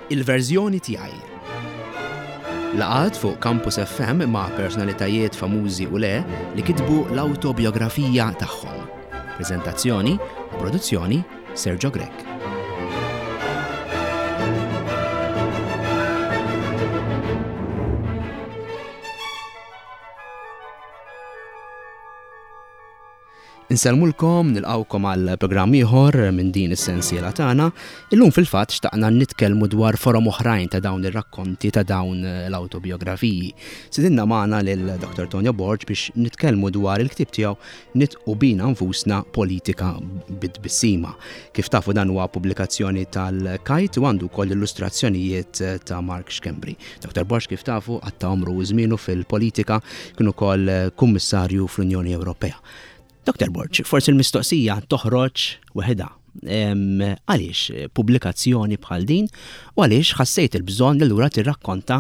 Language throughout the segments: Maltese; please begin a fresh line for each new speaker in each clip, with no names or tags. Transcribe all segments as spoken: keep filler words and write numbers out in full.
Il-verżjoni tiegħi. Laqgħat fuq Campus F M ma' personalitajiet famużi u le li kitbu l-autobiografija tagħhom. Prezentazzjoni u produzzjoni, Sergio Grech. Insellmulkom, nilqgħukom għal programm ieħor minn din is-sensiela tagħna. Illum fil-fatt xtaqna nitkellmu dwar forom oħrajn ta' dawn ir-rakkonti, ta' dawn l-autobiografiji. Stidinna magħna lil Doktor Tonio Borg biex nitkellmu dwar il-ktieb tiegħu Nidħqu Bina Nfusna, Politika bit-Tbissima. Kif tafu, dan huwa pubblikazzjoni tal-Kite u għandu wkoll illustrazzjonijiet ta' Mark Schembri. Doktor Borg, kif tafu, qatta' għomru u żmienu fil-politika, kien ukoll kummissarju fl-Unjoni Ewropea. Doktor Borg, forsi l-mistoqsija toħroġ weħidha. Għaliex pubblikazzjoni bħal din u għaliex ħassejt il-bżonn li lura tirrakkonta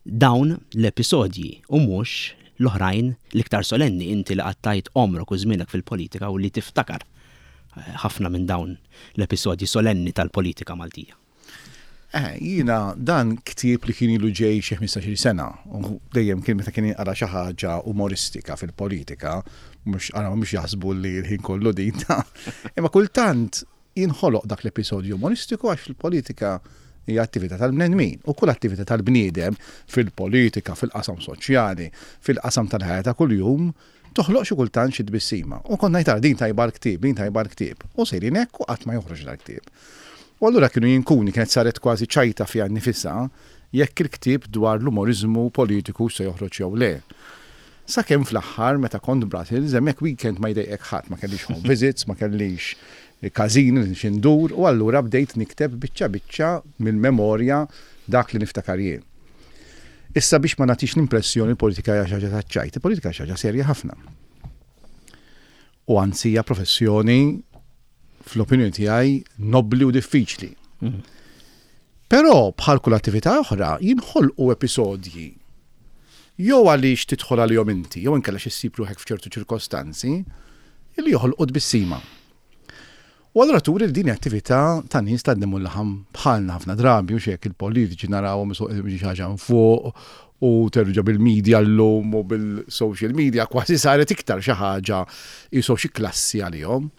dawn l-episodji u mhux l-oħrajn l-iktar solenni, inti li qattajt għomrok u żmienek fil-politika u li tiftakar eh, ħafna minn dawn l-episodji solenni tal-politika Maltija?
Eh, jiena dan ktieb li kien ilu ġej xi ħmistax-il sena u dejjem kien meta kien jinqara xi ħaġa umoristika fil-politika, mhux ara mhux jaħsbu li l-ħin kollu din ta'. Imma kultant jinħoloq dak l-episodju umoristiku għax fil-politika hija attività tal-bnedmin u kull attività tal-bniedem fil-politika, fil-qasam soċjali, fil-qasam tal-ħajja ta' kuljum toħloq xi kultant xi tbissima. U konna ngħid, "Din tajba l-ktieb, din tajba l-ktieb." U sejrin hekk u qatt ma joħroġ dal-ktieb. U allura kienu jinkuni kienet saret kważi ċajta fiha nnifisha jekk il-ktieb dwar l-umorizmu politiku se joħroġ jew le. Sakemm fl-aħħar, meta kont Brussels, hemmhekk weekend ma jdejqek ħadd, ma kellix home visits, ma kellix każin xi ndur, u allura bdejt nikteb biċċa biċċa mill-memorja dak li niftakar jien. Issa, biex ma nagħtix l-impressjoni l-politika hija xi ħaġa taċ-ċajt, il-politika xi ħaġa serja ħafna. U anzi hija professjoni, fl-opinjoni tiegħi, nobli u diffiċli. Però bħal kull attività oħra jinħolqu episodji jew għaliex tidħol għalihom inti, jew inkella xi ssib ruħek f'ċertu ċirkostanzi li joħolqu tbissima. U allura turi li din attività ta' nies ta' demm u laħam bħalna ħafna drabi, u xek il-politiċi narawhom xi ħaġa fuq u terġa' bil-media llum u bil-social media kważi saret iktar xi ħaġa jisow xi klassi għalihom.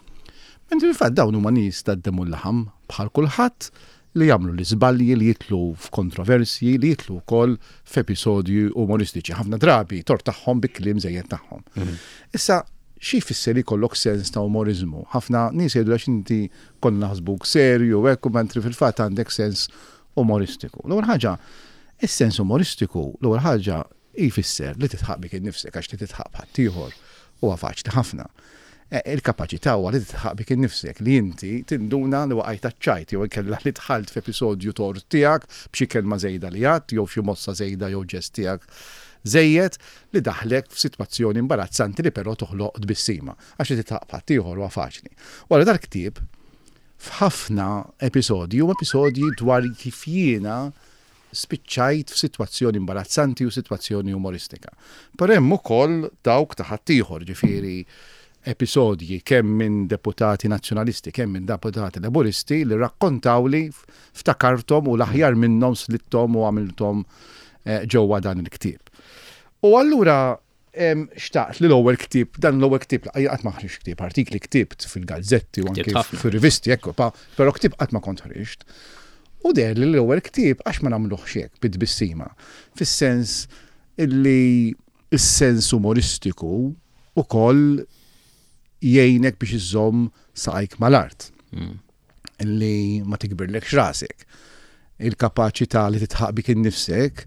Mentri fil-fatt dawn huma nies ta' demm u laħam bħal kulħadd li jagħmlu l-iżbalji, li jidħlu f'kontroversji, li jidħlu wkoll f'episodji umoristiċi. Ħafna drabi tort tagħhom bi kliem żejjed tagħhom. Issa, xi jfisser li jkollok sens ta' umorizmu? Ħafna nies jgħidu, "Għax inti konna naħsbuk serju hekk u mentri fil-fatt għandek sens umoristiku." L-ewwel ħaġa, is-sens umoristiku, l-ewwel ħaġa jfisser li tidħaq bik innifsek, għax li tidħaq b'ħaddieħor huwa faċli ħafna. Eh, Il-kapaċità huwa li tidħaq bik innifsek, li inti tinduna li waqajt ċajt jew inkella li dħalt f'episodju tort tiegħek b'xi kelma żejda li għedt jew xi mossa żejda jew ġest tiegħek żejjed li daħlek f'sitwazzjoni imbarazzanti li però toħloq tbissima. Għax li tidħaq b'ħaddieħor huwa faċli. Wara, dal-ktieb f'ħafna episodji u episodji dwar kif jiena spiċċajt f'sitwazzjoni imbarazzanti u sitwazzjoni umoristika. Però hemm ukoll dawk ta' ħaddieħor, ġifieri episodji kemm minn deputati nazzjonalisti, kemm minn deputati laburisti li rakkontaw li ftakarthom u l-aħjar minnhom slitthom u għamilthom eh, ġewwa dan il-ktieb. U allura em, xtaqt li l-ewwel ktieb, dan l-ewwel ktieb, qatt ma ħriġt ktieb, artikli ktibt fil-gazzetti u anke
Ktibt ħafna.
fil-rivisti, ekku, pa, però ktieb qatt ma kont ħriġt. U deher li l-ewwel ktieb għax ma nagħmluhx hekk bit-tbissima. Fis-sens illi is-sens umoristiku ukoll jgħinek biex iżomm saqajk mal-art. Illi ma tikbirlekx rasek. Il-kapaċità li tidħaq bik innifsek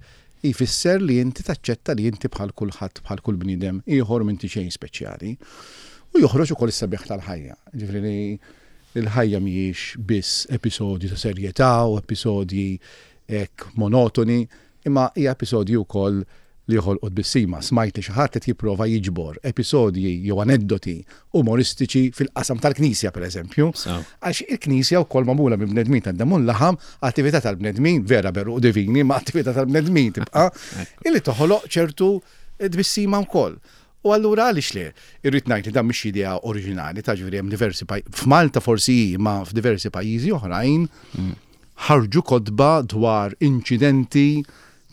jfisser li inti taċċetta li inti bħal kulħadd, bħal kull bniedem ieħor, m'inti xejn speċjali. U joħroġ ukoll is-sabiħ tal-ħajja. Ġifieri li l-ħajja mhijiex biss episodji ta' serjetà u episodji hekk monotoni, imma hija episodji wkoll li joħolqu tbissima. Smajt li xi ħadd qed jipprova jiġbor episodji jew aneddoti umoristiċi fil-qasam tal-Knisja, pereżempju.
So.
Għax il-Knisja wkoll magħmula minn bnedmin ta' demm u laħam, attività tal-bnedmin, vera beru divini, ma attività tal-bnedmin tibqa' illi toħloq ċertu tbissima wkoll. U allura għaliex le? Irrid ngħid li dan mhix idea oriġinali, ta' ġifieri hemm diversi paj- f'Malta forsi, ma f'diversi pajjiżi oħrajn Ħarġu kotba dwar inċidenti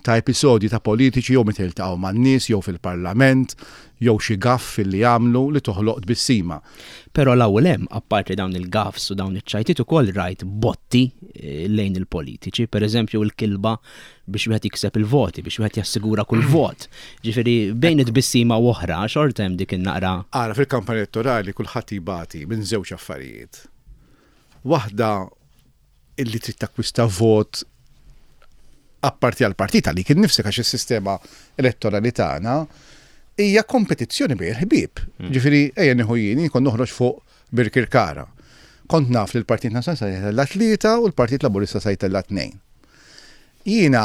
ta' episodji ta' politiċi jew meta jiltaqgħu man-nies jew fil-parlament jew xi gaff li jagħmlu li toħloq tbissima.
Però l-ewwel hemm, apparti dawn il-gaffs u dawn iċ-ċajtiet, ukoll rajt botti eh, lejn il-politiċi, pereżempju l-kilba biex wieħed jikseb il-voti, biex wieħed jassigura kull vot. Ġifieri bejn it-tbissima u oħra xorta hemm dik in-naqra.
Ara, fil-kampanja elettorali kulħadd jibati minn żewġ affarijiet. Waħda illi trid takkwista vot apparti għal partit għalik innifsek, għax is-sistema elettorali tagħna hija kompetizzjoni bejn il-ħbieb. Mm. Ġifieri ejja nieħu jien kont noħroġ fuq Birkirkara. Kont naf li l-Partit Nazzjonalista se jtella' tlieta u l-Partit Laburista se jtella' tnejn. Jiena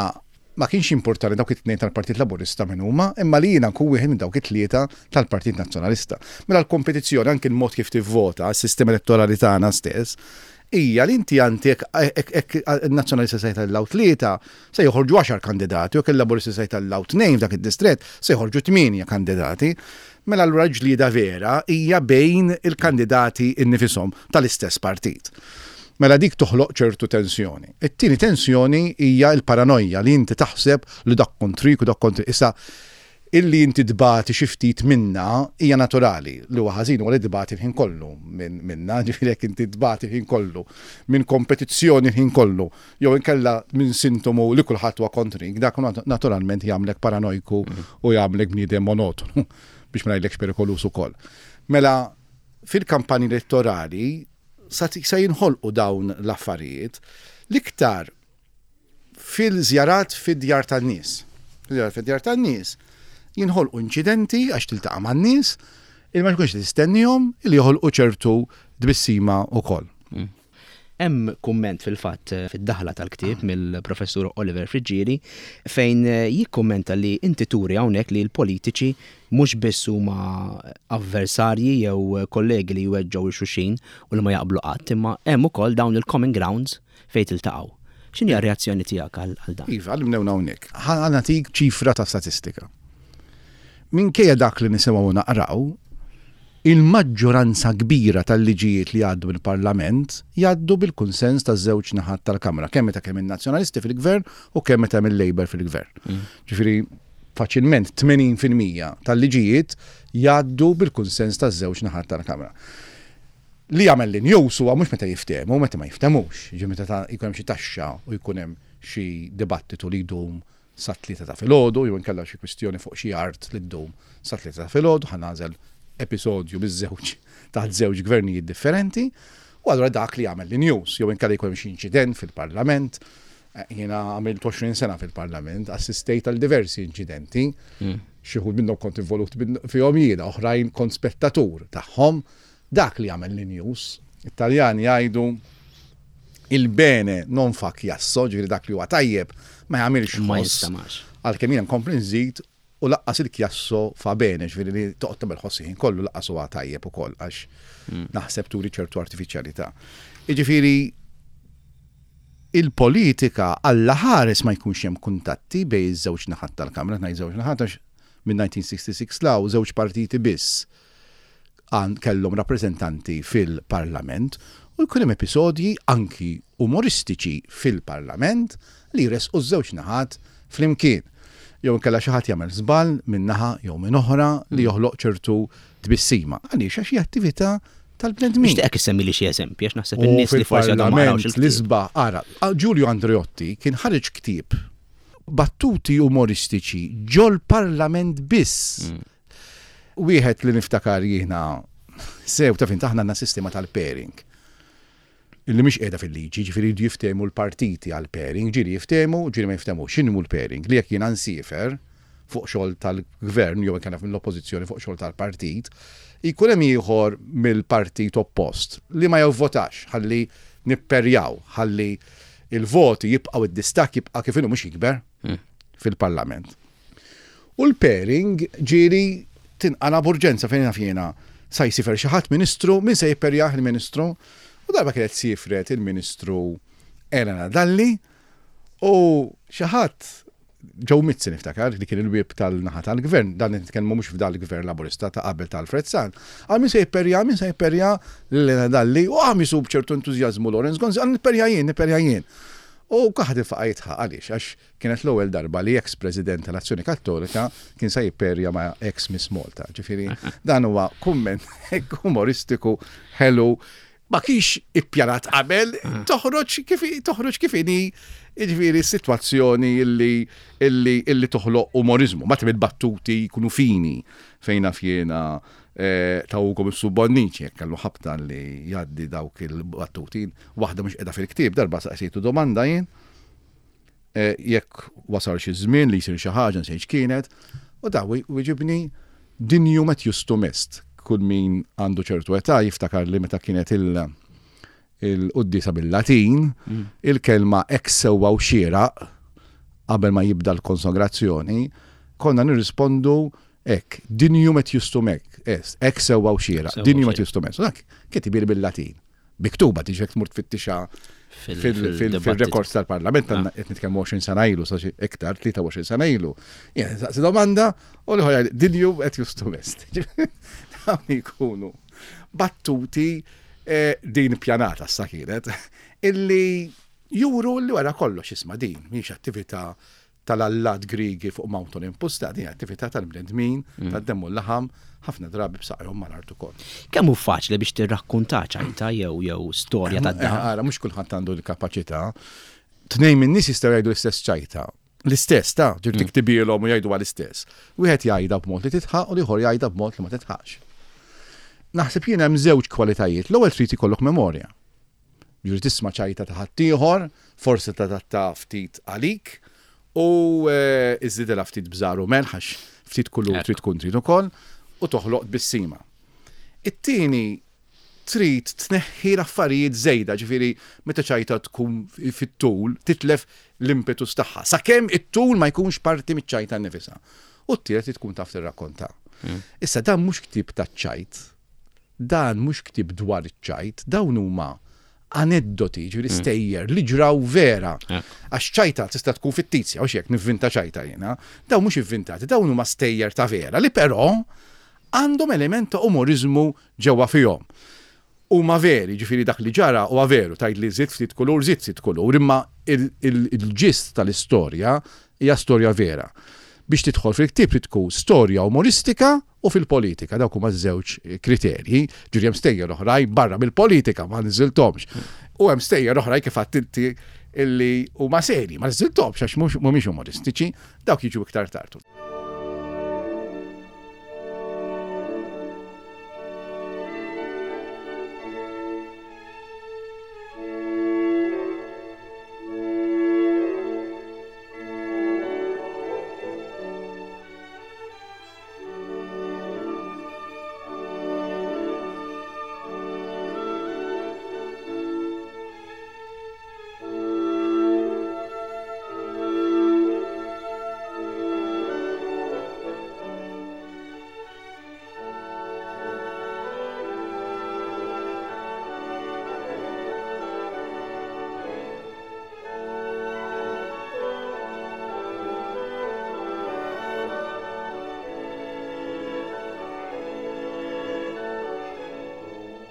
ma kienx importanti dawk it-tnejn tal-Partit Laburista minn huma, imma li jiena nkun wieħed minn dawk it-tlieta tal-Partit Nazzjonalista. Mela l-kompetizzjoni, anke l-mod kif tivvota, s-sistema elettorali tagħna stess, hija li inti għandek il-Nazzjonalista se jtellgħu tlieta, se joħorġu għaxar kandidati, u jekk il-Laburisti se jtellgħu tnejn f'dak id-distrett, se joħorġu tmienja kandidati. Mela allura ġlieda vera hija bejn il-kandidati innifisom tal-istess partit. Mela dik toħloq ċertu tensjoni. It-tieni tensjoni hija l-paranoja li inti taħseb li dak kontrik u dak kontrik. Issa, illi inti tbati xi ftit minna hija naturali, li huwa ħażin huwa li tbati l-ħin kollu minna, ġifieri jekk inti tbati l-ħin kollu minn kompetizzjoni l-ħin kollu, jew inkella minn sintomu li kulħadd huwa kontrik, dak naturalment jagħmlek paranojku u jagħmlek bniedem monotonu, biex ma ngħidlekx perikolus ukoll. Mela fil-kampanji elettorali sa jinħolqu dawn l-affarijiet l-iktar fil-żjarat fid-djar tan-nies. Fil-żjarat fid-djar tan-nies jinħolqu inċidenti għax tiltaqa' man-nies il ma tkunx tistennihom li joħolqu ċertu tbissima wkoll.
Hemm kumment fil-fatt fid-daħla tal-ktieb mill-professur Oliver Friggieri fejn jikkummenta li inti turi hawnhekk li l-politiċi mhux biss huma avversarji jew kollegi li jweġġgħu xulxin u li ma jaqblu qatt, imma hemm ukoll dawn il-common grounds fejn tiltaqgħu. X'inhi r-reazzjoni tiegħek għal dan?
Iva, għallimnew hawnhekk. Ħa nagħtik ċifra ta' statistika. Minkejja dak li nisimgħu naqraw, il-maġġoranza kbira tal-liġijiet li jgħaddu mill-Parlament jgħaddu bil-kunsens taż-żewġ naħat tal-Kamra, kemm meta kemm in-Nazzjonalisti fil-Gvern u kemm meta hemm il-Labour fil-Gvern. Mm. Ġifieri faċilment tmenin fil-mija tal-liġijiet jgħaddu bil-kunsens taż-żewġ naħat tal-Kamra. Li jagħmel l-news huwa mhux meta jiftehmu, meta ma jiftemux, ġifieri meta jkun hemm xi taxxa u jkun hemm xi dibattitu li jdum sa tlieta ta' filgħodu, jew inkella xi kwistjoni fuq xi art li ddum sa tlieta ta' filgħodu, ħa nagħżel episodju biż-żewġ taħt żewġ gvernijiet differenti, u allura dak li jagħmel l-news, jew inkella jkun hemm xi inċident fil-Parlament. Jiena għamilt għoxrin sena fil-Parlament, assistejt għal diversi inċidenti, xi wħud minnhom kont involut fihom jiena, oħrajn kont spettatur tagħhom. Dak li jagħmel l-news, Italjani jgħidu il-bene non fa chiasso, ġifieri dak li huwa tajjeb ma jagħmilx
Ma
ħoss.
jistamax.
Għalkemm jiena nkompli nżid u laqqas il-chiasso fa bene, ġifieri li toqgħod tagħmel ħoss ħin kollu laqqas huwa tajjeb ukoll għax naħseb turi ċertu artifiċjalità. Jiġifieri il-politika alla ħares ma jkunx hemm kuntatti bejn iż-żewġ naħat tal-Kamra, ngħid żewġ naħat għax minn nineteen sixty-six law żewġ partiti biss għan kellhom rappreżentanti fil-Parlament u jkun hemm episodji anki umoristiċi fil-Parlament li jresqu ż-żewġ naħat flimkien. Jew inkella xi ħadd jagħmel żball minn naħa jew minn oħra li joħloq ċertu tbissima. Għaliex għax hija attività tal-bnedmin.
Nixtieqek issemmi li xi eżempji għax naħseb
U
in-nies li forsi għadhom ma qarawx
fil-Parlament
il-ktieb.
l-isba' ara, Giulio Andreotti kien ħareġ ktieb battuti umoristiċi ġol-Parlament biss.
Mm.
Wieħed li niftakar jiena sew ta' fin taħna għandna sistema tal-pairing. Illi mhix qiegħda fil-liġi, ġifieri jridu jiftehmu l-partiti għall-pairing, ġieli jiftehmu, ġieli ma jiftehmux. X'inhu l-pairing? Li jekk jiena nsiefer fuq xogħol tal-gvern jew inkella mill-oppożizzjoni fuq xogħol tal-partit, jkun hemm ieħor mill-partit oppost li ma jivvotax, ħalli nipperjaw, ħalli il-voti jibqgħu id-distakk jibqa' kif inhu mhux jikber
Hmm.
fil-Parlament. U l-pairing ġieli tinqala b'urġenza fejn naf jiena sa jsifer xi ħadd ministru, min se jipperjah il-ministru? U darba kienet sifret il-ministru Elena Dalli u xi ħadd Joe Mizzi niftakar li kien il-whip tal-naħa tal-gvern, dan nitkellmu mhux f'dal gvern Laburista ta' qabel ta' Alfred Sant. Għal min se jipperja, min se jipperja Elena Dalli, u għam jisub ċertu entużjażmu Lawrence Gonzi, għal nipperja jien, nipperja jien. U kulħadd infaqa' jidħaq għaliex, għax kienet l-ewwel darba li ex-president tal-Azzjoni Kattolika kien se jipperja ma' ex Miss Malta. Ġifieri dan huwa kumment umoristiku ħelu, ma kienx ippjanat qabel, toħroġ kif toħroġ kif inhi, jiġifieri sitwazzjoni illi illi illi toħloq umorizmu. Ma il-battuti jkunu fini fejn naf jiena eh, ta' Ugo Mifsud Bonnici, jekk kellu ħabta li jgħaddi dawk il-battuti, waħda mhux qiegħda fil-ktieb, darba saqsejtu domanda jien, eh, jekk wasal xi żmien li jsir xi ħaġa nsejt kienet, u da wiġibni "Dignum et justum est". Kull min għandu ċertu età jiftakar li meta kienet il- il-quddiesa bil-Latin, il-kelma "hekk sewwa u xieraq" qabel ma jibda l-konsagrazzjoni, konna nirrispondu hekk, "Dignum et justum est", "hekk sewwa u xieraq",
Sewwa u
"Dignum et
xieraq.
justum est". U dak kitibhieli bil-Latin. Miktuba tiġi tmur tfittixa fil-records tal-parlament,
Ah.
għandna qed nitkellmu għoxrin sena ilu, sa xi iktar, tlieta u għoxrin sena ilu. Jien saqsi domanda u li ħoja "Dignum et justum est". Dawn jkunu battuti eh, din pjanata sa kienet, illi juru li wara kollox isma' din mhix attività tal-allat Grigi fuq Mount Olympus, ta' din attività tal-bnedmin, tad-demm u l-laħam, ħafna drabi b'saqajhom mal-art ukoll.
Kemm hu faċli biex tirrakkonta ċajta jew jew storja
Eh,
tad-daħk?
Ara, mhux kulħadd għandu l-kapaċità. Tnejn minn nies jistgħu jgħidu l-istess ċajta. L-istess, ta' ġir tiktibilhom u jgħidu l-istess. Wieħed jgħidha b'mod li titħaq u l-ieħor jgħidha b'mod li ma titħaqx. Naħseb jien hemm żewġ kwalitajiet. L-ewwel trid ikollok memorja. Ġifieri tisma' ċajta ta' ħaddieħor, forsi tadatta ftit għalik, u eh, iżżidilha ftit bżar u melħ għax ftit kullu
Ekku.
trid tkun trid ukoll, u toħloq tbissima. It-tieni trid tneħħi l-affarijiet żejda, ġifieri meta ċajta tkun fit-tul, titlef l-impetus tagħha. Sakemm it-tul ma jkunx parti miċ-ċajta nnifisha. U t-tielet trid tkun taf tirrakkonta. Issa dan mhux ktieb taċ-ċajt, dan mhux ktieb dwar iċ-ċajt, dawn huma aneddoti, ġifieri stejjer li ġraw vera. Għax ċajta tista' tkun fittizja, u xek nivvinta ċajta jiena, dawn mhux ivvintati, dawn huma stejjer ta' vera li però għandhom element ta' umorizmu ġewwa fihom. Huma veri, ġifieri dak li ġara huwa veru, tgħid li żid ftit kulur, żid ftit kulur, imma il-ġist tal-istorja hija storja vera. Biex tidħol fil-ktieb trid tkun storja umoristika u fil-politika, dawk huma żewġ kriterji, ġifieri hemm stejjer oħrajn barra mill-politika ma niżilthomx. U hemm stejjer oħrajn kif għedt inti illi huma seri, ma niżilthomx għax mhux- mhumiex umoristiċi, dawk jiġu iktar tard.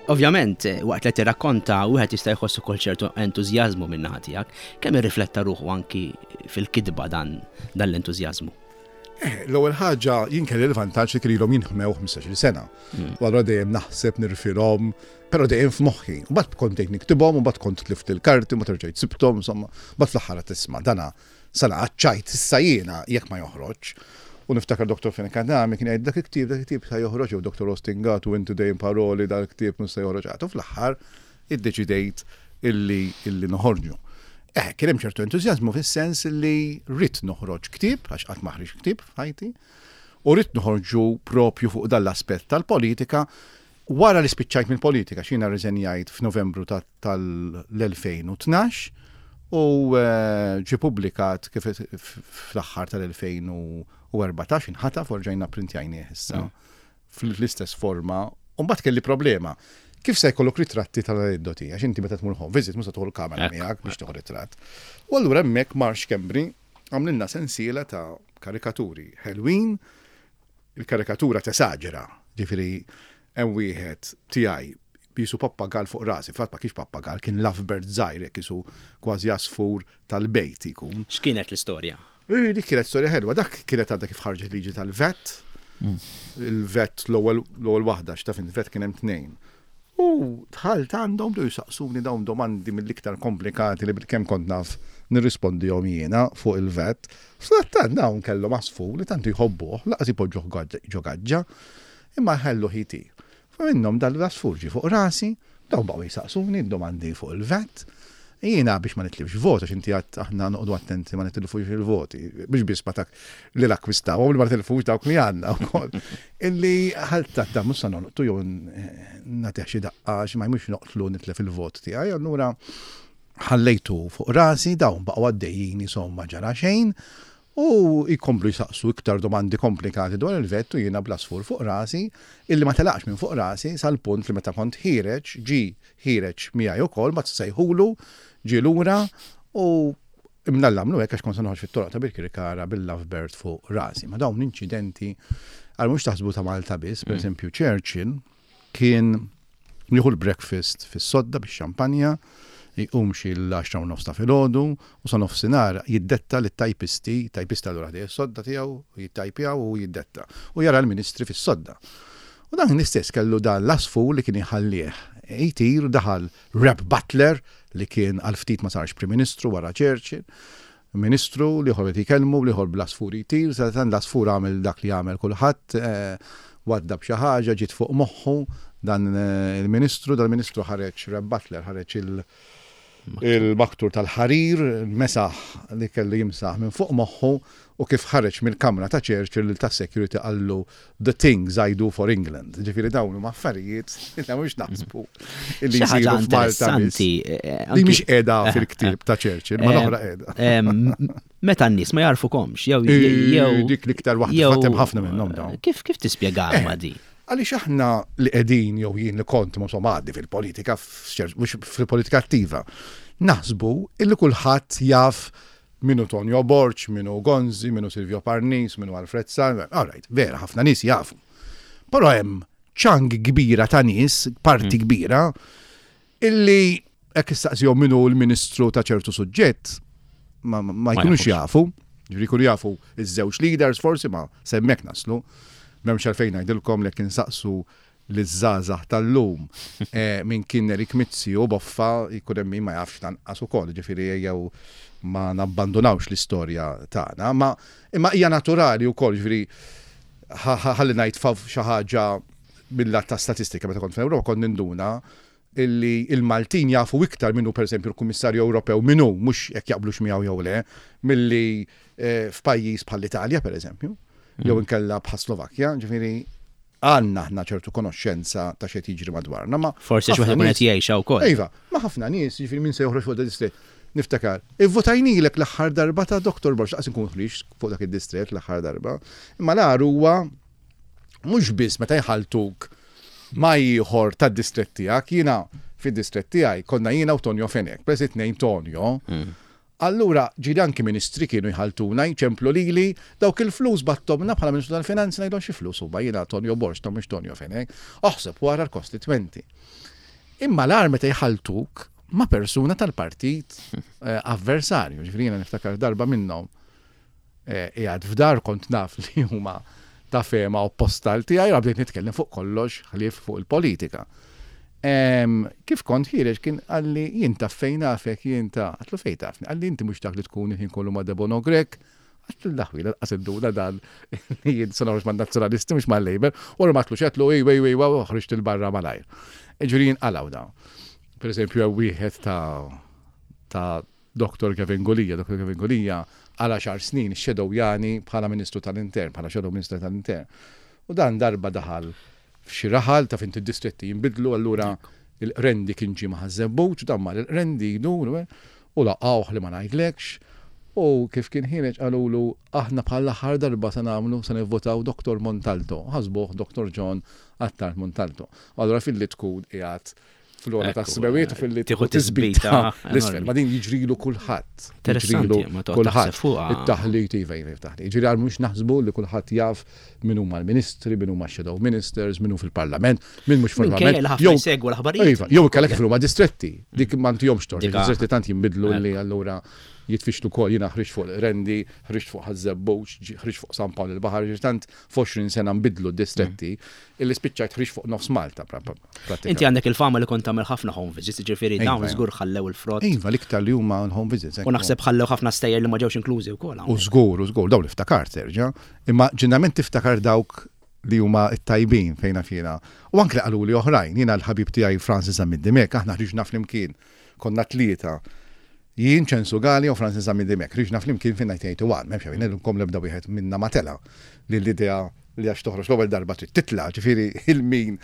Ovvjament, waqt li tirrakkonta wieħed jista' jħoss ukoll ċertu entużjażmu minn naħa tiegħek, kemm irrifletta ruħu anki fil-kitba dan dan l-entużjażmu?
Eh, L-ewwel ħaġa jien kelli l-vantaġġ li kellhom jinħmew ħmistax-il sena. U allura dejjem naħseb nirfilhom, però dejjem f'moħħi. U mbagħad kont dejjem niktibhom, u mbagħad kont tlift il-karti, u mbagħad rġajt sibthom, insomma, mbagħad fl-aħħar tisma' dana sena ċajt issa jiena jekk ma joħroġ. U niftakar Doktor Fenech Adami kien jgħid dak il-ktieb, dak il-ktieb sa joħroġ, jew Doktor Austin Gatt u inti dejjem paroli dak il-ktieb mhux se joħroġ. U fl-aħħar iddeċidejt illi illi noħorġu. Eh, kien hemm ċertu entużjażmu fis-sens li rrid noħroġ ktieb, għax qatt ma ħriġt ktieb f'ħajti, u rrid noħorġu propju fuq dan l-aspett tal-politika wara li spiċċajt mill-politika, x'jiena rriżenjajt f'Novembru tal-elfejn u tnax u eh, ġie publikat kif fl-aħħar tal-elfejn u erbatax, inħataf u rġajna printjajnieh issa fl-istess forma. U mbagħad kelli problema. Kif se jkollok ritratti tal-aneddoti? Għax inti meta tmur home visit mhux se tieħu l-kamera
Ekku.
miegħek biex tieħu ritratt. U allura hemmhekk Marx Kembri għamlilna sensiela ta' karikaturi ħelwin, il-karikatura tesaġera, ġifieri hemm wieħed tiegħi Bisu pappagal fuq rasi, fatt ma kienx pappagal, kien lovebird żgħir, jekk isu kważi għasfur tal-bejt ikun.
X'kienet l-istorja?
Dik kienet storja ħelwa, dak kienet għadha kif ħarġet liġi tal-VAT. Il-VAT l-ewwel waħda, x'taf il-VAT kien hemm tnejn. U dħalt għandhom bdew jisaqsuni dawn domandi mill-iktar komplikati li bil-kemm kont naf nirrispondihom jiena fuq il-VAT. Sadattant dawn kellhom għasfur li tant jħobbuh, lanqas ipoġġuh ġo gaġġa, imma ħalluh jtir. Minnhom dal-għasfur ġie fuq rasi, dawn baqgħu jisaqsuni domandi fuq il-VAT. Jiena biex ma nitlifx vot, għax inti għad aħna noqogħdu attenti ma nitilfux il-voti, biex biss ma tak li l-akkwistaw, u li ma nitilfux dawk li għandna wkoll. Illi ħalta ta' mhux sa noqtu jew nagħtih xi daqqa xi ma jmux noqtlu nitlef il-vot tiegħi, allura ħallejtu fuq rasi, dawn baqgħu għaddejjin insomma ġara xejn, u jkomplu jisaqsu iktar domandi komplikati dwar il-VAT u jiena bl-għasfur fuq rasi, illi ma telaqx minn fuq rasi sal-punt li meta kont ħiereġ, ġi ħiereġ miegħi ukoll, ma tsejħulu, ġie lura u imnallamlu hekk għax kont se noħroġ fit-toroq ta' Birkirkara bil-lovebird fuq rasi. Ma dawn inċidenti għal mhux taħsbu ta' Malta biss, per eżempju Churchill kien jieħu l-breakfast fis-sodda bix-xampanja, jqum xi l-għaxra u nofs ta' filgħodu u sa nofsinhar jiddetta lit-tajpisti, tajpista allura ħdej is-sodda tiegħu, jittajpjaw u jiddetta. U jara l-ministri fis-sodda. U dan l-istess kellu dan l-għasfur li kien iħallih jtir, daħal Rab Butler li kien għal ftit ma sarx Prim Ministru wara Churchill, Ministru li ħor jikellmu, li ħor bl-għasfur jtir, sa dan l-għasfur għamel dak li għamel kulħadd, waddab xi ħaġa, ġiet fuq moħħu dan il-Ministru, dan il-Ministru ħareġ Rab Butler, ħareġ il- il-maktur tal-ħarir, mesaħ li kellu jimsaħ minn fuq moħħu u kif ħareġ mill-kamra ta' Churchill ta' security qallu the things I do for England. Ġifieri dawn huma affarijiet li mhux naħsbu illi
Xi ħaġa
jsiru f'Malta biss.
interessanti, eh,
Li
anki
mhix qiegħda fil-ktieb ta' Churchill, ma
Eh,
l-oħra qiegħda.
em, Meta n-nies ma jarfukomx, jew
Eh,
jew
dik l-iktar waħda
jew-
fatem ħafna minnhom dawn.
Kif kif tispjega
Eh,
ma di?
Għaliex aħna li qegħdin jew jien li kont ma insomma għaddi fil-politika, f'ċer-, mhux fil-politika attiva, naħsbu illi kulħadd jaf minu Tonio Borg, minu Gonzi, minu Silvio Parnis, minu Alfred Sant, all right, vera, ħafna nies jafu. Però hemm ċang kbira ta' nies, parti kbira, illi hekk istaqsihom minu l-ministru ta' ċertu suġġett, ma, ma, ma jkunux
jafux.
jafu, ġifieri jkunu jafu iż-żewġ leaders forsi ma semmek naslu. M'hemmx għalfejn ngħidilkom li kien saqsu liż-żgħażagħ tal-lum eh, min kien Erik Mizzi u Boffa jkun hemm min ma jafx lanqas ukoll, ġifieri ejjew ma nabbandunawx l-istorja tagħna, ma imma hija naturali wkoll, ġifieri ħalli ngħid fav xi ħaġa mill-lat ta' statistika meta kont fl-Ewropa kont ninduna illi il-Maltin jafu iktar minnu per esempio l-Kummissarju Ewropew minnu mhux jekk jaqblux miegħu jew le, milli eh, f'pajjiż bħall-Italja per eżempju, jew inkella bħal Slovakkja, ġifieri għandna aħna ċertu konoxxenza ta' x'qed jiġri madwarna, ma
Forsi xi
ħafna
wieħed ikun
nies-
qed jgħixha wkoll.
Iva, ma ħafna nies, ġifieri min se joħroġ fuq da distrett. Niftakar, ivvotajnilek l-aħħar darba ta' Doktor Borg, laqas inkun ħriġt fuq dak id-distrett l-aħħar darba. Imma l-agħar huwa mhux biss meta jħaltuk ma ieħor tad-distrett tiegħek, jiena fid-distrett tiegħi konna jiena u Tonio Fenech, peress li tnejn Tonio. Allura, ġieli anki ministri kienu jħaltuna, jċemplu lili, dawk il-flus bgħatthomlna bħala Ministru tal-Finanzi ngħidhom xi flus huma jiena Tonio Borg, ta' mhux Tonio Fenech. Oħseb wara l-kostitwenti. Imma l-agħar meta jħaltuk ma' persuna tal-partit eh, avversarju. Ġifieri jiena niftakar darba minnhom eh, qiegħed f'dar kont naf li huma ta' fehma opposta għal tiegħi, u bdejt nitkellem fuq kollox ħlief fuq il-politika. Em, kif kont ħiereġ kien qalli jien taf fejn nafek, jien ta' għedtlu fejn tafni, qalli inti mhux dak li tkun il-ħin kollu ma' Debono Grech, għedtlu l-aħwi, lanqas induna dan jien se noħroġ ma' nazzjonalisti mhux ma' Labour, u ma għedtlu x'għedtlu ej, ej, ej, ej, ħriġt il-barra malajr. Ġifieri jinqalgħu dawn. Per eżempju, hemm wieħed ta' ta' Doktor Kevin Gulia, Doktor Kevin Gulia għal għaxar snin shadowjani bħala Ministru tal-Intern, bħala Shadow Ministru tal-Intern. U dan darba daħal f'xi raħal ta' fint id-distretti jinbidlu, allura il-Qrendi kien ġie ma' Ħaż-Żebbuġ, dan mar il-Qrendi jdur, u laqgħuh li ma ngħidlekx, u kif kien ħiereġ qalulu aħna bħal aħħar darba se nagħmlu se nivvotaw Doktor Montalto, ħasbuh Doktor John Attard Montalto. Allura filli tkun qiegħed Fl-ora ta' smewiet u fil-li tieħu tisbita l-isfel. Ma din jiġrilu kulħadd.
Interessanti, ma kulħadd.
It-taħlit iva iva taħlit. Jiġri għal mhux naħsbu li kulħadd jaf min huma l-ministri, min huma shadow ministers, min hu fil-parlament, min mhux fil-parlament.
Jew segwu l-aħbarijiet.
Iva, jew kellek fil-huma distretti. Dik ma ntihomx tort. Distretti tant jinbidlu li allura jitfixlu kol, jiena ħriġt fuq Rendi, ħriġt fuq Ħaż-Żebbuġ, ħriġt fuq San Pawl il-Baħar, tant f'għoxrin sena nbidlu d-distretti, illi spiċċajt ħriġt fuq nofs Malta.
Inti għandek il-fama li kont tagħmel ħafna home visits, ġifieri dawn żgur ħallew il-frott.
Iva, l-iktar li huma l-home visits.
U naħseb ħallew ħafna stejjer li ma ġewx inklużi wkoll.
U żgur, u żgur, dawn li ftakart terġa', imma ġeneralment tiftakar dawk li huma t-tajbin fejna fjena. U anke qalu li oħrajn, jiena l-ħabib tiegħi Francis Zammit Dimech, aħna ħriġna flimkien, konna tlieta. Jien Ċensu Galea u Francis Zammit Dimech, ħriġna flimkien fin nineteen eighty-one, m'hemmx għalfejn ngħidilkom l-ebda wieħed minna ma tela' li l-idea li għax toħroġ l-ewwel darba trid titla', ġifieri il-min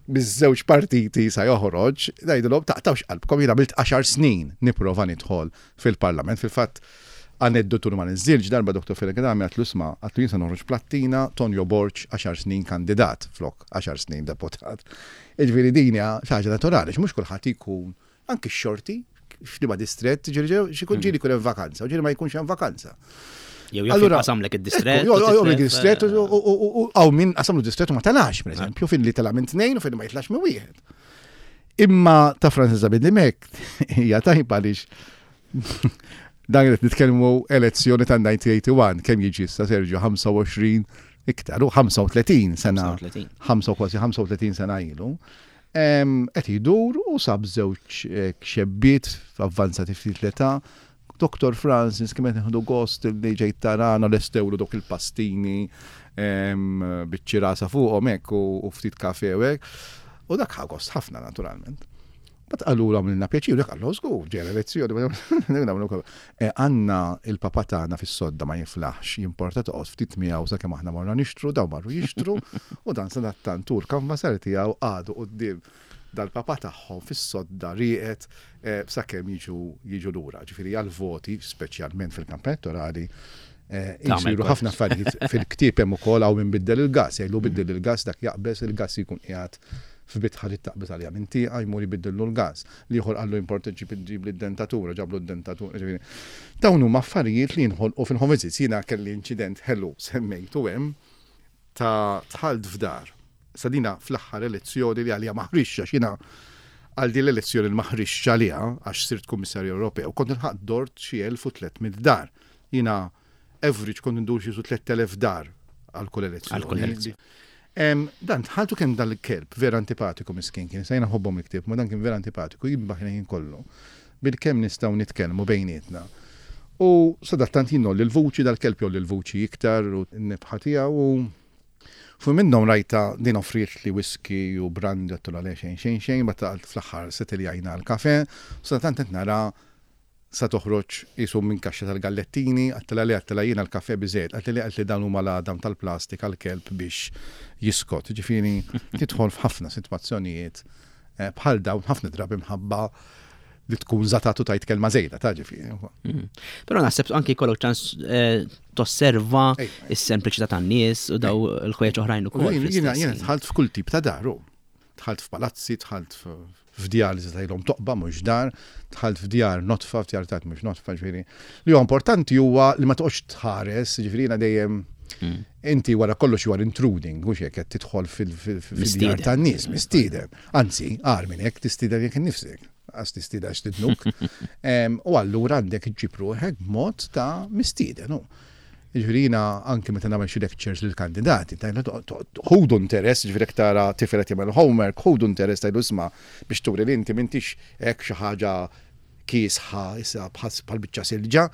biż-żewġ partiti sa joħroġ, ngħidilhom taqtawx qalbkom, jien għamilt għaxar snin nipprova nidħol fil-Parlament. Fil-fatt aneddotu ma niżżilx, darba Doktor Fenech Adami għatlu isma', għatlu jien se noħroġ plattina, Tonio Borg għaxar snin kandidat flok għaxar snin deputat. Jiġifieri din hija xi ħaġa naturali, mhux kulħadd ikun anki x-xorti f'liema distrett, ġieli xi jkun ġieli jkun hemm vakanza, u ġieli ma jkunx hemm vakanza.
Jew jaf
Allura,
qasamlek id-distrett,
ekku, jew, jew, jew,
u titlef,
id-distrett,
eh,
u, u, u, u, għaw min qasamlu distrett u ma talax, per eżempju, fin li tala minn tnejn u fin li ma jitlax minn wieħed. Imma ta' Francis Zammit Dimech hija tajba għaliex dan qed nitkellmu elezzjoni ta' nineteen eighty-one, kemm jiġi issa Sergio ħamsa u għoxrin iktar, u ħamsa u tletin sena,
ħamsa u tletin.
ħamsa u kważi ħamsa u tletin sena ilu. Em, qed idur u sab żewġ, eh, xebbiet avvanzati ftit l-età. Doktor Francis, kemm qed nieħdu gost li ġejt tarana lestewlu dawk il-pastini, em, biċ-ċirasa fuqhom hekk u, u ftit kafe u hekk. U dak ħa gost ħafna naturalment. Bat qalu għamilna pjaċir, dak qallu żgur, ġej l-elezzjoni, ma nagħmlu wkoll. Eh, għandna il-papa tagħna fis-sodda ma jiflaħx, jimporta toqgħod ftit miegħu sakemm aħna morna nixtru, daw marru jixtru, u dan sadattant tul kanvasar tiegħu għadu quddiem dal-papa tagħhom fis-sodda rieqed, eh, sakemm jiġu, jiġu lura. Ġifieri għall-voti, speċjalment fil-kampanja elettorali, eh,
Tagħmel
jsiru
kollox.
ħafna affarijiet fil-ktieb hemm ukoll hawn min biddel il-gas, jgħidu biddel il-gas dak jaqbeż il-gas jkun qiegħed f'bitħa li taqbeż għalija minn tieqa jmur jbiddillu l-gas. Li ieħor qallu importa ġib ġib lid-dentatura, ġablu d-dentatura, ġifieri. Dawn huma affarijiet li jinħolqu fil-home visits. Jiena kelli inċident ħelu semmejtu hemm ta' dħalt f'dar. Sadina fl-aħħar elezzjoni li għalija ma ħriġx, għax jiena għal din l-elezzjoni li ma ħriġx għalija għax sirt kummissarju Ewropew, kont nilħaq dort xi elf u tliet mitt dar. Jiena average kont ndur xi tlett elef dar għal kull elezzjoni.
Għal kull elezzjoni.
Em, dan tħaltu kemm dal-kelb vera antipatiku miskin kien, sajna ħobbhom il-ktieb, ma dan kien vera antipatiku, jimbaħ ħin kollu. Bil-kemm nistgħu nitkellmu bejnietna. U sadattant jien l-vuċi dal-kelb jolli l-vuċi iktar u n-nibħa tiegħu u fu minnhom rajta din offriet li whisky u brandy għattu għalih xejn xejn xejn, ma taqalt fl-aħħar settiljajna l-kafe, u sadattant qed nara sa toħroġ jisu minn kaxxa tal-gallettini, għattela li għattela jiena l-kafe biżejjed, għattela li għattela dan huma l-għadam tal-plastik għal-kelb biex jiskot. Ġifieri tidħol f'ħafna sitwazzjonijiet, eh, bħal dawn ħafna drabi mħabba li tkun żatatu tajt kelma żejda, ta' ġifieri.
Mm. Però naħseb anki jkollok ċans, eh, tosserva
Ej.
is-sempliċità tan-nies u daw l-ħwejjeġ oħrajn ukoll
Jiena,
fl-istess
jiena, jiena
ħin.
dħalt f'kull tip ta' dar, u. Dħalt f'palazzi, dħalt f-, f'djar li tajlhom toqba mhux dar, dħalt f'djar notfa, f'djar tajt mhux notfa, ġifieri. Li huwa importanti huwa li ma toqgħodx tħares, ġifieri jiena dejjem
Mm.
inti wara kollox you are intruding, mhux hekk qed tidħol fil-, fil-, fil-djar
Mistieden.
tan-nies, mistieden. Anzi, agħar minn hekk tistieden jekk innifsek, għax tistieden għax tidnuk. Em, u allura għandek iġġib ruħek b'mod ta' mistieden, u. Ġifieri jiena anke meta nagħmel xi lectures lill-kandidati, tajna to-, to-, ħudu interess, ġifieri jekk tara tifel qed jagħmel homework, ħudu interess tajdu isma' biex turi li inti m'intix hekk xi ħaġa kiesħa issa bħas bħal biċċa silġa.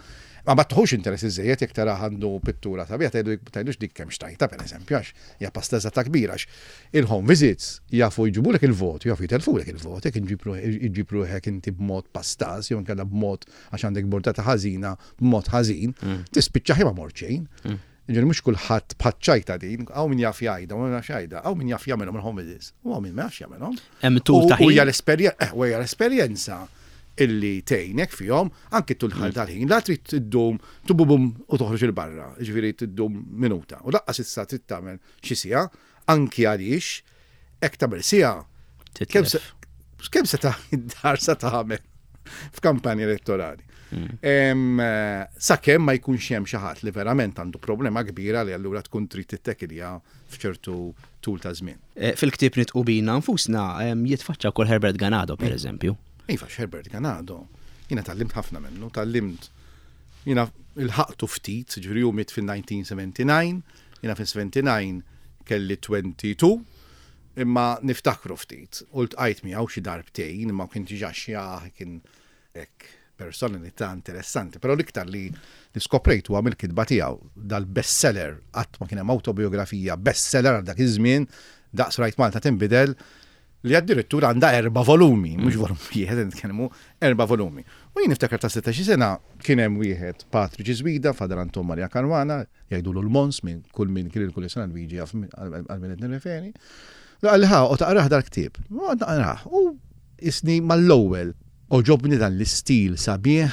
Ma ma tħux interess iżejjed jekk tara għandu pittura sabiħa, tgħidu tgħidux dik kemm xtajta pereżempju, għax hija pastażata kbira, għax il-home visits jafu jġibulek il-vot, jafu jitelfulek il-vot, jekk iġġib ruħek inti b'mod pastaż, jew inkella b'mod għax għandek bordata ħażina b'mod ħażin,
Mm.
tispiċċa ħima mort xejn.
Mm.
Ġifieri mhux kulħadd bħaċ-ċajta din, hawn min jaf jgħidha, hawn min jaf jgħidha, hawn min jaf jagħmelhom il-home visits, u hawn min ma jafx jagħmelhom.
Hemm tul
U
ta'
u hija
ħin.
l-esperjen-, eh, u hija l-esperjenza illi tgħinek fihom anki tul ħal tal-ħin, la trid tiddum tububum u toħroġ il barra, ġifieri tiddum minuta. U laqqas issa trid tagħmel xi siegħa, anki għaliex hekk tagħmel siegħa,
Titlef.
kemm se-, Kemm se ta' id-dar sa tagħmel f'kampanja elettorali. Mm. Sakemm ma jkunx hemm xi ħadd li verament għandu problema kbira li allura tkun trid tittekilja f'ċertu tul ta' żmien.
Eh, fil-ktieb Nidħqu Bina Nfusna jitfaċċa wkoll Herbert Ganado pereżempju.
Iva, Herbert Ganado. Jiena tgħallimt ħafna minnu, tgħallimt jiena lħaqtu ftit, ġifieri hu miet fil-elf disa' mija u sebgħa u sebgħin, jiena fil-sebgħa u sebgħin kelli tnejn u għoxrin, imma niftakru ftit. U ltqajt miegħu xi darbtejn, imma kien diġà xjaħ, kien hekk personalità interessanti, però l-iktar li li skoprejt huwa mill-kitba tiegħu dal-bestseller, qatt ma kien hemm autobiografija bestseller għal dak iż-żmien daqs Rajt Malta Tinbidel, li addirittura għandha erba' volumi, mhux volum wieħed nitkellmu, erba' volumi. U jien niftakar ta' sittax sena kien hemm wieħed Patri Ġiżwida, Father Anton Maria Caruana, jgħidulu l-Mons, minn kull minn kien il-kull sena Luigi jaf għal min qed nirreferi. Qalli ħa, u taqrah dal-ktieb. U naqrah. U isni mal-ewwel għoġobni dan l-istil sabiħ,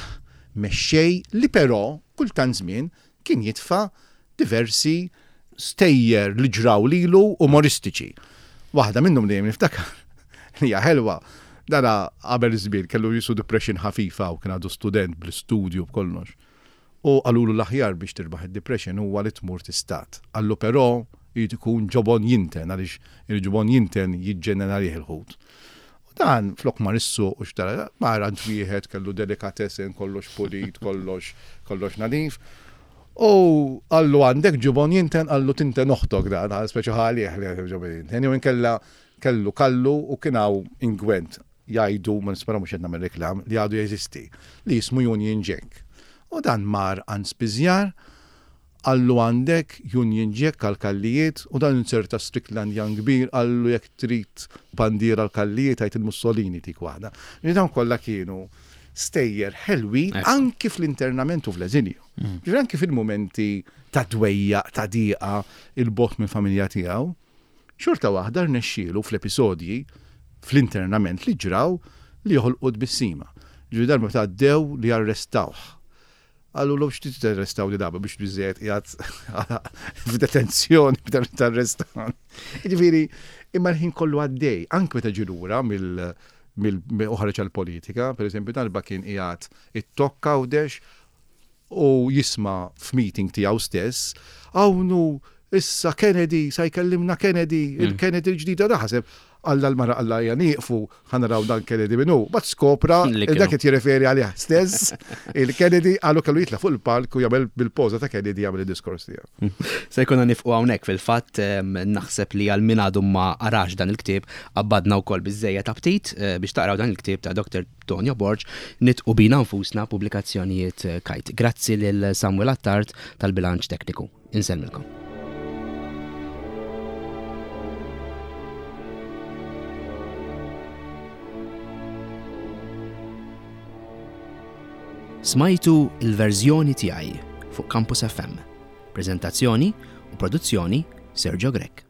mexxej, li però kultant żmien kien jitfa' diversi stejjer li ġraw lilu umoristiċi. Waħda minnhom dejjem niftakar li hija ħelwa. Dana qabel żmien kellu jisu depression ħafifa u kien għadu student bl-istudju b'kollox. U qalulu l-aħjar biex tirbaħ id-depression huwa li tmur tistad. Qallu però jrid ikun ġobon jinten, għaliex il-ġobon jinten jiġġennen għalih il-ħut. U dan flok mar is-suq u xtara, mar għand wieħed kellu delicatessen, kollox pulit, kollox kollox nadif. U qallu għandek ġobon jinten, qallu tinten oħtok dan, speċi ħalih li għandek ġobon jinten. Jew inkella kellu kallu u kien hawn ingwent jgħidu, ma nispera mhux qed nagħmel reklam, li għadu jeżisti, li jismu Union Jack. U dan mar għand spiżjar, qallu għandek Union Jack għal-kallijiet, u dan inserta Strickland Young kbir, qallu jekk trid bandiera għal-kallijiet għid il-Mussolini tik waħda. Li dawn kollha kienu stejjer ħelwi anki fl-internament u fl-eżilju. Ġifieri anki fil-momenti ta' dwejja, ta' diqa, il-bogħod minn familja tiegħu, xorta waħda rnexxielu fl-episodji fl-internament li ġraw li joħolqu tbissima. Ġifieri darba meta għaddew li arrestawh. Qallu l x'trid tarrestaw li daba biex biżejjed qiegħed f'detenzjoni biex tarrestan. Ġifieri, imma l-ħin kollu għaddej, anke meta ġie lura mill mill uħarġ għal-politika, per eżempju darba kien qiegħed it-Tokk Għawdex u jisma' f'meeting tiegħu stess, hawnhu issa Kennedy, sa jkellimna Kennedy, il-Kennedy l-ġdida daħseb, għalla l-mara għalla ejja nieqfu ħa naraw dan Kennedy minnu. Bat skopra,
Li kienu.
dak qed jirreferi għalih stess, il-Kennedy għallu kellu jitla' fuq il-palk u jagħmel bil-poża ta' Kennedy jagħmel id-diskors tiegħu.
Se jkollna nieqfu hawnhekk fil-fatt em, naħseb li għal min għadu ma qarax dan il-ktieb qabbadna wkoll biżejjed aptit eh, biex taqraw dan il-ktieb ta' Doktor Tonio Borg, Nidħqu Bina Nfusna, pubblikazzjonijiet eh, Kite. Grazzi lil Samuel Attard tal-bilanċ tekniku. Insellmilkom. Smajtu Il-Verżjoni Tiegħi fuq Campus F M. Prezentazzjoni u produzzjoni Sergio Grech.